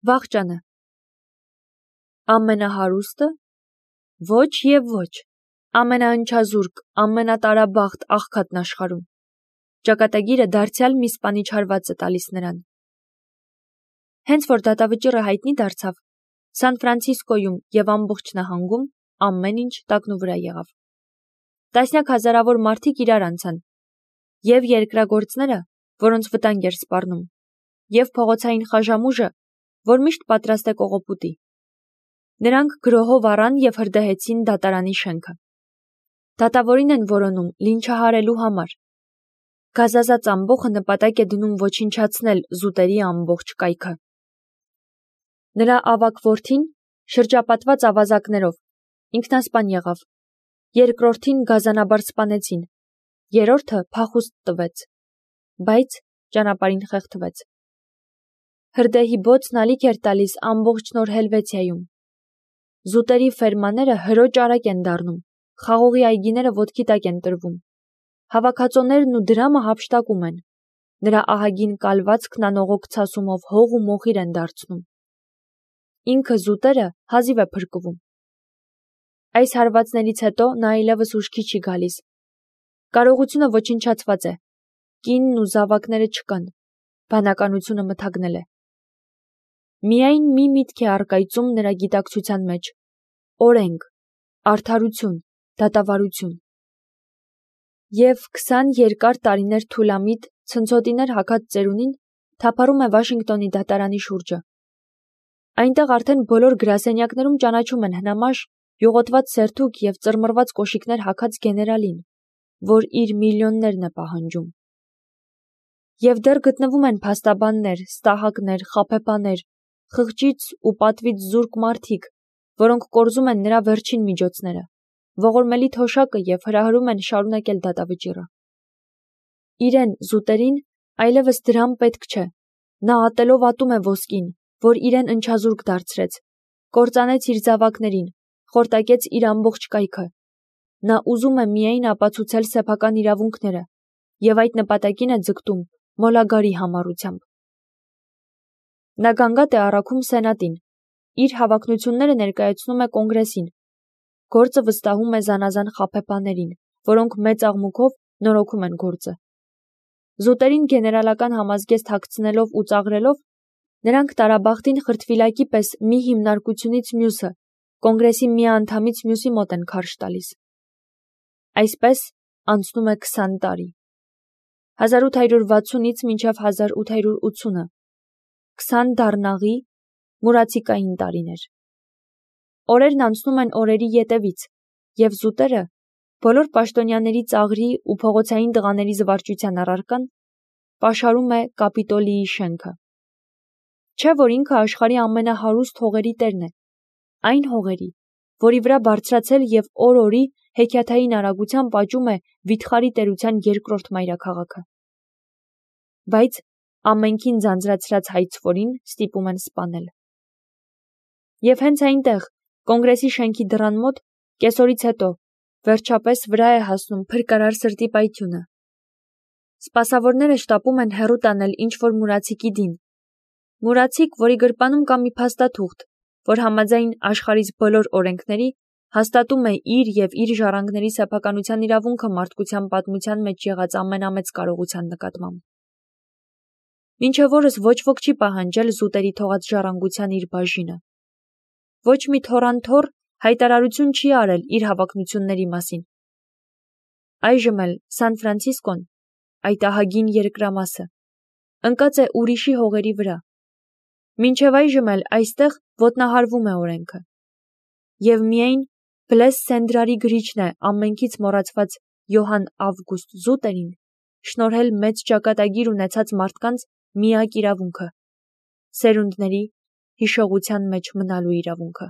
Վախճանը։ Ամենահարուստը։ Ոչ և ոչ։ Ամենաընչազուրկ, ամենատարաբախտ աղքատն աշխարհում։ Ճակատագիրը դարձյալ մի սպանիչ հարված է տալիս նրան։ Հենց որ դատավճիռը հայտնի դարձավ, Սան Ֆրանցիսկոյում և ամբողջ նահանգում ամեն ինչ տակնուվրա եղավ։ Տասնյակ հազարավոր մարդիկ իրար անցան, և երկրագործները, որոնց վտանգ էր սպառնում, և փողոցային խաժամուժը, որ միշտ պատրաստ է կողոպուտի։ Նրանք գրոհով առան և հրդեհեցին դատարանի շենքը։ Դատավորին են որոնում լինչահարելու համար։ Գազազած ամբոխը նպատակ է դնում ոչնչացնել զուտերի ամբողջ կայքը։ Նրա ավագ որդին, շրջապատված ավազակներով, ինքնասպան եղավ, երկրորդին գազանաբար սպանեցին, երրորդը փախուստ տվեց, բայց ճանապարհին խեղդվեց։ Հրդեհի բոցն ալիք էր տալիս ամբողջ Նոր Հելվեցիայում։ Զուտերի ֆերմաները հրոճ արագ են դառնում, խաղողի այգիները ոտքի տակ են տրվում։ Հավաքածոներն ու դրամը հափշտակում են։ Նրա ահագին կալվածքն անողոք ցասումով հող ու մոխիր են դարձնում։ Ինքը զուտերը հազիվ է փրկվում։ Այս հարվածներից հետո նա այլևս ուշքի չի գալիս։ Կարողությունը ոչնչացված է։ Կինն ու զավակները չկան։ Բանականությունը մթագնել է։ Միայն մի միտք է առկայծում նրա գիտակցության մեջ՝ օրենք, արդարություն, դատավարություն։ Եվ 20 երկար տարիներ թուլամիտ, ցնցոտիներ հագած ծերունին թափառում է Վաշինգտոնի դատարանի շուրջը։ Այնտեղ արդեն բոլոր գրասենյակներում ճանաչում են հնամաշ, յուղոտված սերթուկ և ծռմռված կոշիկներ հագած գեներալին, որ իր միլիոններն է պահանջում։ Եվ դեռ գտնվում են փաստաբաններ, ստահակներ, խաբեբաներ, խղճից ու պատվից զուրկ մարդիկ, որոնք կորզում են նրա վերջին միջոցները, ողորմելի թոշակը և հրահրում են շարունակել դատավճիռը։ Իրեն, զուտերին, այլևս դրամ պետք չէ։ Նա ատելով ատում է ոսկին, որ իրեն ընչազուրկ դարձրեց, կործանեց իր զավակներին, խորտակեց իր ամբողջ կայքը։ Նա ուզում է միայն ապացուցել սեփական իրավունքները և այդ նպատակին է ձգտում մոլագարի համառությամբ։ Նա գանգատ է առաքում սենատին, իր հավակնությունները ներկայացնում է կոնգրեսին, գործը վստահում է զանազան խաբեբաներին, որոնք մեծ աղմուկով նորոգում են գործը։ Զուտերին գեներալական համազգեստ հագցնելով ու ծաղրելով, նրանք տարաբախտին խրտվիլակի պես մի հիմնարկությունից մյուսը, կոնգրեսի մի անդամից մյուսի մոտ են քարշ տալիս։ Այսպես անցնում է 20 տարի։ 1860-ից մինչև 1880-ը 20 դառնաղի, մուրացիկային տարիներ։ Օրերն անցնում են օրերի ետևից, և զուտերը, բոլոր պաշտոնյաների ծաղրի ու փողոցային տղաների զվարճության առարկան, պաշարում է Կապիտոլիի շենքը։ Չէ՞ որ ինքը աշխարհի ամենահարուստ հողերի տերն է, այն հողերի, որի վրա բարձրացել և օր-օրի հեքիաթային արագությամբ աճում է վիթխարի տերության երկրորդ մայրաքաղաքը։ Բայց ամենքին ձանձրացրած հայցվորին ստիպում են սպանել։ Եվ հենց այնտեղ, կոնգրեսի շենքի դռան մոտ, կեսօրից հետո, վերջապես վրա է հասնում փրկարար սրտի պայթյունը։ Սպասավորները շտապում են հեռու տանել ինչ-որ մուրացիկի դին։ Մուրացիկ, որի գրպանում կա մի փաստաթուղթ, որ համաձայն աշխարհիս բոլոր օրենքների հաստատում է իր և իր ժառանգների սեփականության իրավունքը մարդկության պատմության մեջ եղած ամենամեծ կարողության նկատմամբ։ Մինչև օրս ոչ ոք չի պահանջել զուտերի թողած ժառանգության իր բաժինը։ Ոչ մի թոռանթոռ հայտարարություն չի արել իր հավակնությունների մասին։ Այժմ էլ Սան Ֆրանցիսկոն, այդ ահագին երկրամասը, ընկած է ուրիշի հողերի վրա։ Մինչև այժմ էլ այստեղ ոտնահարվում է օրենքը։ Եվ միայն Բլես Սենդրարի գրիչն է ամենքից մոռացված Յոհան Ավգուստ Զուտերին շնորհել մեծ ճակատագիր ունեցած մարդկանց միակ իրավունքը՝ սերունդների հիշողության մեջ մնալու իրավունքը։